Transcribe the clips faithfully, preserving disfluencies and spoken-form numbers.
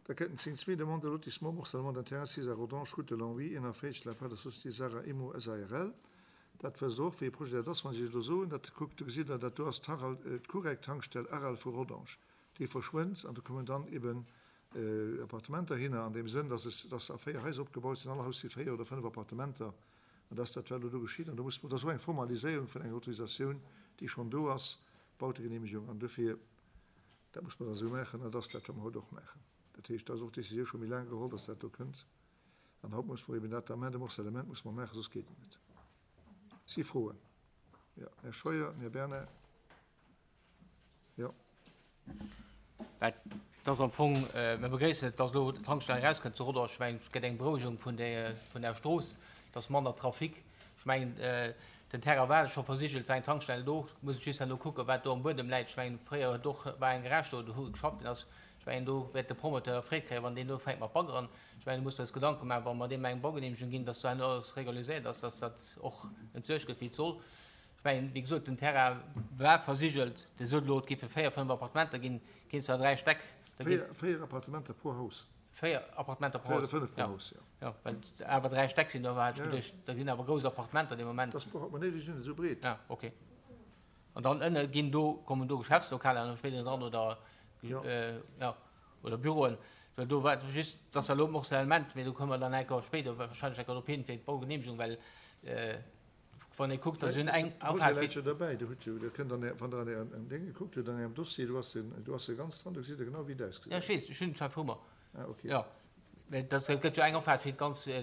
Da kënnt den zéng zwee, Demande de lotissement morcellement d'un terrain sis à Rodange, route de Longwy, eenanvéierzeg, de la part der Société Sarah Immo SARL. Dat wësst Der och, wéi ee Projet dat ass, wann ech Iech elo soen, dat kuckt, do gesitt Der, dat do ass d'Aral, d'Courec-Tankstell Aral vu Rodange. Déi verschwënnt an do kommen dann eben Appartementer hinner, an deem Sënn, dass es, dass se a véier Haiser opgebaut sinn, all Haus si véier oder fënnef Appartementer. An dat ass dat, wat elo do geschitt. An do muss, dat ass och eng Formaliséierung vun enger Autorisatioun, déi schonn do ass, Bautegenehmegung. An dofir, dat muss mer dann esou maachen, an dat ass dat, wat mer haut och maachen. Dat heescht, do ass och d'Décisioun scho méi laang geholl, dass dat do kënnt. An haut muss mer eben dat Amendement muss mer maachen, soss geet et net. Si Froen? Jo, Här Scheuer, den Här Bernard. Jo. Well et ass am Fong, mir begréissen et, dass elo d'Tankstell erauskënnt zu Rodange. Ech mengen, et gëtt eng Berouegung vun der, vun der Strooss, et ass manner Trafic. Ech mengen, den Terrain war scho versigelt, war eng Tankstell do. Muss ech just herno kucken, wat do am Buedem läit. Ech mengen, fréier huet och, war eng Garage do, do wou geschafft ginn ass. Ech mengen, do wäert de Promoteur Freed kréien, wann deen do ufänkt mat baggeren. Ech mengen, do muss mer eis Gedanke maachen, wa mer deem eng Baugenehmegung ginn, dass do herno alles regulariséiert ass, dass dat och entsuergt gëtt, wéi et soll. Ech mengen, wéi gesot, den Terrain war versigelt. Dir sot elo, et géife véier, fënnf Appartementer ginn, ginn zwar dräi Stäck. Da ginn. Véier, véier Appartementer pro Haus. Véier Appartementer pro Véier oder Haus, fënnf pro ja. Haus, jo. Jo, well et awer dräi Stäck sinn, do hat ech geduecht, da ginn awer grouss Appartementer dee Moment. Dat ass pro Haus, mä nee, déi sinn net esou breet. Ah, okay. An dann ënne ginn do, kommen do Geschäftslokaler dann spéider dran oder, Jo. ja, oder Büroen. Well do war just, dat ass elo Morcellement, mee do komme mer dann eng Kéier spéider wahrscheinlech eng Kéier drop hin, fir d'Baugenehmegung, well wann ee kuckt, da sinn eng De Projet läit jo derbäi. Do hutt jo, Dir kënnt an Är, wann Der an Ärem Déng gekuckt hutt, an Ärem Dossier, do ass en, do ass e ganz dran, do gesitt Der genau, wéi et ausgesäit. Jo, ech weess, ech hunn et scho vru mer. Ah, okay. Jo, mä dat gëtt jo eng Opfaart fir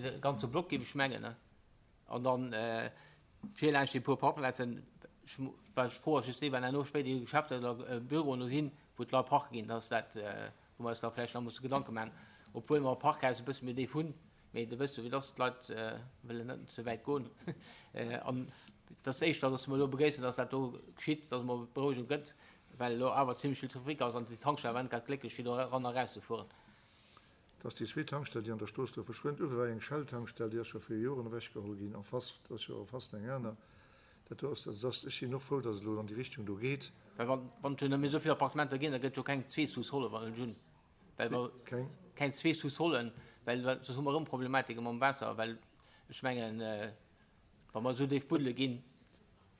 de ganze Block, géif ech mengen, ne? An dann vir laanscht déi puer Parkplazen, ech, wat ech froe ass just déi, wann herno spéider déi Geschäfter oder Büroen do sinn, wou d'Leit parke ginn, dass dat, wou mer eis da vläicht nach musse Gedanke maachen, obwuel mer Parkhäus e bësse méi déif hunn. Mee de wësst jo, wéi et ass, d'Leit wëllen net ze wäit goen. An et ass éischter, datt mer elo begréissen, datt dat do geschitt, datt et emol Berouegung gëtt, well elo awer zimlech vill Trafic ass an déi Tankstell war net grad glécklech, fir do eran a erauszefueren. Et ass déi zweet Tankstell, déi an der Strooss do verschwënnt. Uewe war eng Shell-Tankstell, déi ass scho viru Joren ewechgeholl ginn. En face, do ass jo en face eng aner. Dat do ass, also dass, ech sinn och frou, datt et elo an déi Richtung do geet. Well wann, wann et jo net méi esou vill Appartementer ginn, da gëtt et jo keng zwee Sous-solle wann ech hunn. Well mer Keng? keng zwee Sous-sollen, well soss hu mer erëm Problematike mam Waasser, well ech mengen, wa mer esou déif buddele ginn,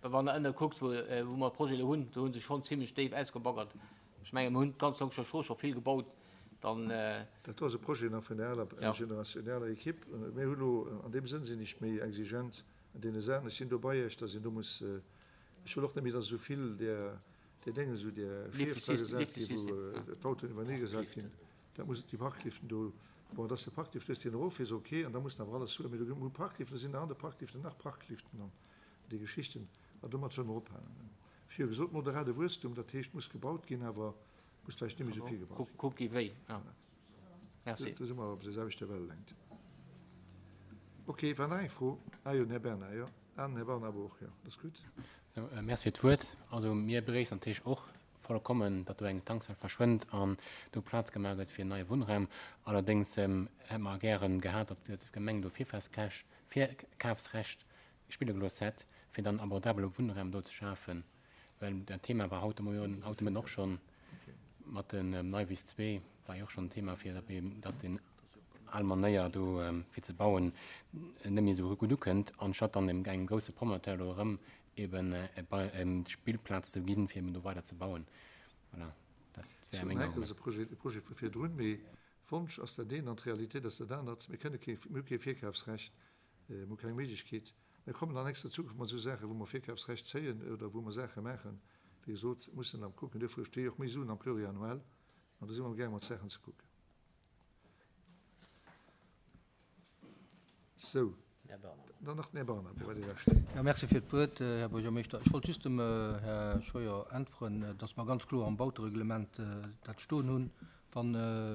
well wann Der ënne kuckt, wou, wou mer d'Projete elo hunn, do hu se schonn zimlech déif ausgebaggert. Ech mengen, mer hunn d'ganz Longscher Strooss scho vill gebaut, dann. Dat do ass e Projet nach vun der aler Generatioun, der aler Equipe. Mir hu lo, an deem Sënn sinn ech méi exigent an deene Saachen, ech sinn do bei Iech, dass een do muss, ech wëll och net méi, dass esou vill där, Déi Dénge sou där Schief dra gesat ginn, wou d'Autoen iwwernee gesat ginn, dat muss déi Parkliften do, bon, dass de Parklift hues, deen erof ass, ok, an da muss en awer alles huelen, mee do ginn Parkliften, da sinn nach an de Parkliften nach Parkliften an déi Geschichten, an domat wëlle mer ophalen. Ech hu jo gesot, moderate Wuesstum, dat heescht, muss gebaut ginn, awer muss vläicht net méi esou vill gebaut ginn. Kuck gi wéi, ja. Merci. Do si mer op der selwechter Wellelängt. Ok, war nach eng Fro? Ah jo, den Här Bernard, jo. An den Här Barnabo och, jo, dat ass gutt. Sou, Merci fir d'Wuert. Also mir begréissen natierlech och vollkommen, datt do eng Tankstell verschwënnt an do Plaz gemaach gëtt fir neie Wunnraum. Allerdéngs hätte mer gären gehat, datt d'Gemeng do Virkafsrecht spille gelooss hätt, fir dann abordabele Wunnraum do ze schafen. Well dat Thema war haut de Moien, haut de Mëtten och schonn mat den Neiwiss zwee war jo och schonn Thema, fir datt den al Manéier do fir ze bauen net méi esou gutt ukënnt, anstatt dann engem grousse Promoteur do erëm eben d'Spillplaz ze ginn, fir eben do weider ze bauen. Voilà, dat wär meng Argument. Dat ass e Projet vu virdrun, mee Wonsch ass dat eent an d'Realitéit ass dat anert. Mir kënne kee, mir hu kee Virkafsrecht, mir hu keng Méiglechkeet. Mir kommen an nächster Zukunft mat esou Saachen, wou mer Virkafsrecht zéien oder wou mer Saache maachen, wéi gesot, mussen am kucken. Duerfir sti och méi Suen am Pluriannuel an do si mer amgaange mat Saachen ze kucken. Sou, dann nach den Här Barnabo, wat Dir da steet. Jo, merci fir d'Wuert, Här Buergermeeschter. Ech wollt just dem Här Scheuer äntweren, dass mer ganz kloer am Bautereglement dat stoen hunn, Wa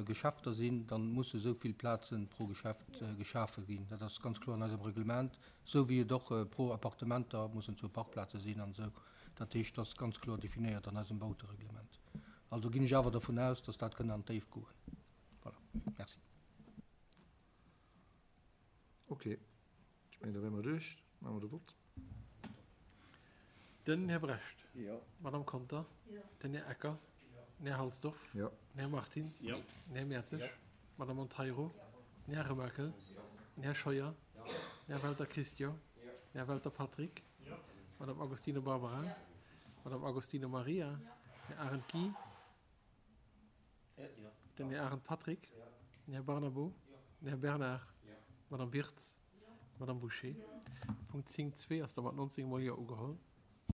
Geschäfter sinn, da musse esou vill Plaze pro Geschäft geschafe ginn. Dat ass ganz kloer an eisem Reglement, esou wéi et och pro Appartementer mussen zwou Parkplaze sinn an esou. Dat heescht, dat ass ganz kloer definéiert an eisem Bautereglement. Also ginn ech awer dervun aus, dass dat kënn an d'Déift goen. Voilà, merci. Ok, ech mengen, da wäre mer duerch. Maache mer de Vott. Den Här Brecht. Jo. D'Madame Conter. Jo. Den Här Ecker. Jo. Den Här Halsdorf. Jo. Den Här Martins. Jo. Den Här Mertzig. Jo. Madame Monteiro, den Här Remakel, den Här Scheuer, den Här Welter Christian, den Här Welter Patrick, Madame Agostino Barbara, Madame Agostino Maria, den Här Arendt Guy, den Här Arendt Patrick, den Här Barnabo, den Här Bernard, Madame Wirtz, Madame Boucher. Punkt zéng zwee ass da mat neunzéng mol Jo ugeholl.